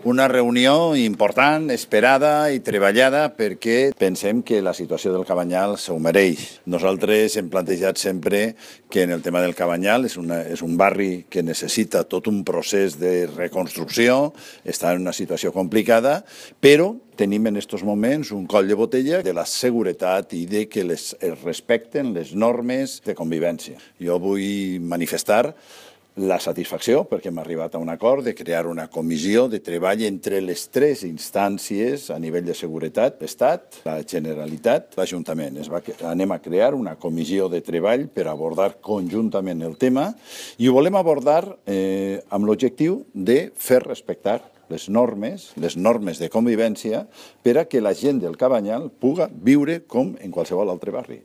Una reunió important, esperada i treballada perquè pensem que la situació del Cabanyal s'ho mereix. Nosaltres hem plantejat sempre que en el tema del Cabanyal és un barri que necessita tot un procés de reconstrucció, està en una situació complicada, però tenim en aquests moments un coll de botella de la seguretat i de que es respecten les normes de convivència. Jo vull manifestar la satisfacció, perquè hem arribat a un acord de crear una comissió de treball entre les tres instàncies a nivell de seguretat, l'Estat, la Generalitat, l'Ajuntament. Anem a crear una comissió de treball per abordar conjuntament el tema i ho volem abordar amb l'objectiu de fer respectar les normes de convivència per a que la gent del Cabanyal puga viure com en qualsevol altre barri.